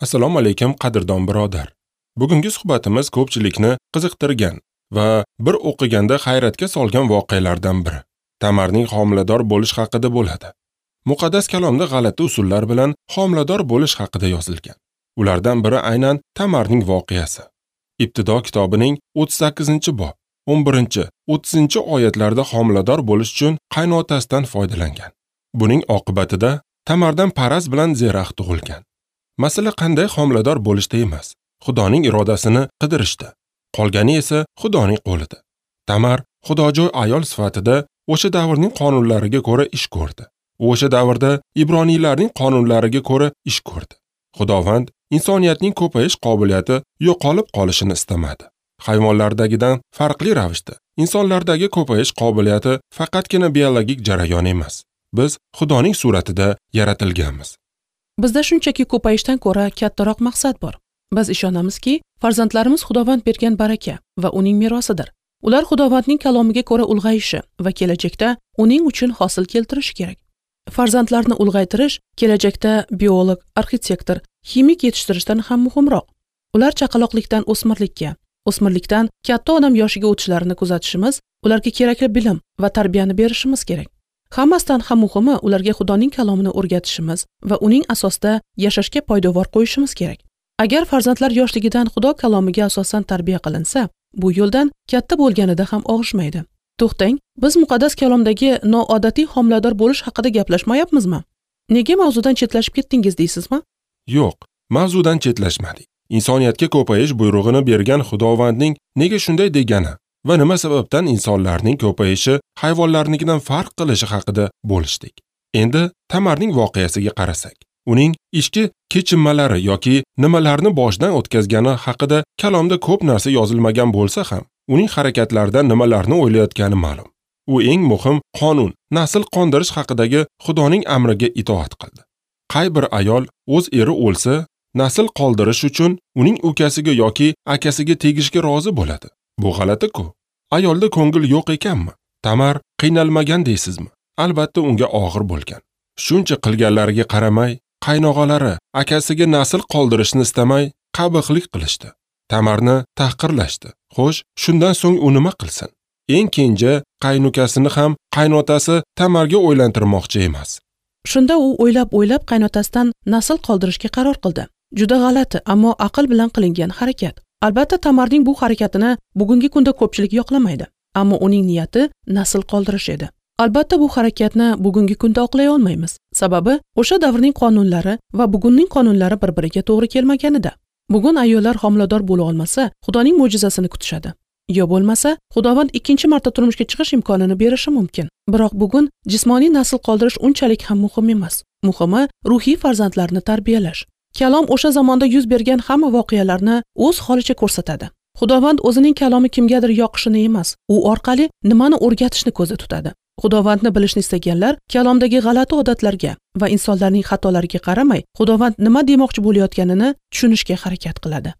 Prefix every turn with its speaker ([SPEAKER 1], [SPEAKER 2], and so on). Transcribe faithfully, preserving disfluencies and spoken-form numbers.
[SPEAKER 1] Assalomu alaykum qadrdon birodar. Bugungi suhbatimiz ko'pchilikni qiziqtirgan va bir o'qiganda hayratga solgan voqealardan biri. Tamarning homilador bo'lish haqida bo'ladi. Muqaddas kalomda g'alati usullar bilan homilador bo'lish haqida yozilgan. Ulardan biri aynan Tamarning voqeasi. Ibtido kitobining o'ttiz sakkizinchi bob o'n birinchi o'ttizinchi oyatlarda homilador bo'lish uchun qaynotasidan foydalangan. Buning oqibatida Tamardan Paraz bilan Zerax tug'ilgan. Masala qanday homilador bo'lishda emas, Xudoning irodasini qidirishda. Qolgani esa Xudoning qo'lida. Tamar xudojo'y ayol sifatida o'sha davrning qonunlariga ko'ra ish ko'rdi. O'sha davrda ibroniylarning qonunlariga ko'ra ish ko'rdi. Xudovand insoniyatning ko'payish qobiliyati yo'qolib qolishini istamadi. Hayvonlardagidan farqli ravishda insonlardagi ko'payish qobiliyati faqatgina biologik jarayon emas. Biz Xudoning suratida yaratilganmiz.
[SPEAKER 2] Bizda shunchaki ko'payishdan ko'ra kattaroq maqsad bor. Biz ishonamizki, farzandlarimiz Xudovand bergan baraka va uning merosidir. Ular Xudovandning kalomiga ko'ra ulg'ayishi va kelajakda uning uchun hosil keltirishi kerak. Farzandlarni ulg'aytirish kelajakda biolog, arxitektor, ximik yetishtirishdan ham muhimroq. Ular chaqaloqlikdan o'smirlikka, o'smirlikdan katta odam yoshiga o'tishlarini kuzatishimiz, ularga kerakli bilim va tarbiyani berishimiz kerak. Hammasidan ham muhimi ularga Xudoning kalomini o'rgatishimiz va uning asosida yashashga poydevor qo'yishimiz kerak. Agar farzandlar yoshligidan Xudo kalomiga asosan tarbiya qilinsa, bu yo'ldan katta bo'lganida ham og'ishmaydi. To'xtang, biz muqaddas kalomdagi noodatiy homilador bo'lish haqida gaplashmayapmizmi? Nega mavzudan chetlashib ketdingiz deysizmi?
[SPEAKER 1] Yo'q, mavzudan chetlashmadik. Insoniyatga ko'payish buyrug'ini bergan Xudovandning nega shunday degani va nima sababdan insonlarning ko'payishi hayvonlarnikidan farq qilishi haqida bo'lishdik. Endi Tamarning voqeasiga qarasak, uning ichki kechinmalari yoki nimalarni boshdan o'tkazgani haqida kalomda ko'p narsa yozilmagan bo'lsa ham, uning harakatlaridan nimalarni o'ylayotgani ma'lum. U eng muhim qonun, nasl qondirish haqidagi Xudoning amriga itoat qildi. Qay bir ayol o'z eri o'lsa, nasl qoldirish uchun uning ukasiga yoki akasiga tegishga rozi bo'ladi. Bu g'alati-ku. Ayolda ko'ngil yo'q ekanmi? Tamar qiynalmagan deysizmi? Albatta unga og'ir bo'lgan. Shuncha qilganlariga qaramay, qaynog'alari akasiga nasl qoldirishni istamay, qabihlik qilishdi. Tamarni tahqirlashdi. Xo'sh, shundan so'ng u nima qilsin? Eng kenja qaynukasini ham qaynotasi Tamarga o'ylantirmoqchi emas.
[SPEAKER 2] Shunda u o'ylab-o'ylab qaynotasidan nasl qoldirishga qaror qildi. Juda g'alati, ammo aql bilan qilingan harakat. Albatta Tamarning bu harakatini bugungi kunda ko'pchilik yoqlamaydi, ammo uning niyati nasl qoldirish edi. Albatta bu harakatni bugungi kunda oqlay olmaymiz. Sababi o'sha davrning qonunlari va bugunning qonunlari bir-biriga to'g'ri kelmaganida. Bugun ayollar homilador bo'la olmasa, Xudoning mo'jizasini kutishadi. Yo bo'lmasa, Xudovand ikkinchi marta turmushga chiqish imkonini berishi mumkin. Biroq bugun jismoniy nasl qoldirish unchalik ham muhim emas. Muhimi ruhiy farzandlarni tarbiyalash. Kalom o'sha zamonda yuz bergan hamma voqealarni o'z holicha ko'rsatadi. Xudovand o'zining kalomi kimgadir yoqishini emas, u orqali nimani o'rgatishni ko'zda tutadi. Xudovandni bilishni istaganlar kalomdagi g'alati odatlarga va insonlarning xatolariga qaramay, Xudovand nima demoqchi bo'layotganini tushunishga harakat qiladi.